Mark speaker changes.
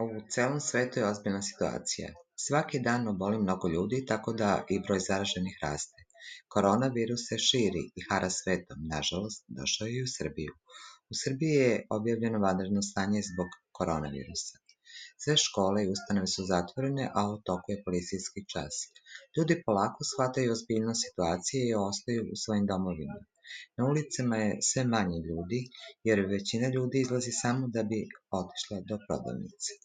Speaker 1: U celom svetu je ozbiljna situacija. Svaki dan oboli mnogo ljudi, tako da i broj zaraženih raste. Koronavirus se širi i hara svetom. Nažalost, došao je i u Srbiju. U Srbiji je objavljeno vanredno stanje zbog koronavirusa. Sve škole i ustanove su zatvorene, a u toku je policijski čas. Ljudi polako shvataju ozbiljnost situacije i ostaju u svojim domovima. Na ulicama je sve manje ljudi, jer većina ljudi izlazi samo da bi otišla do prodavnice.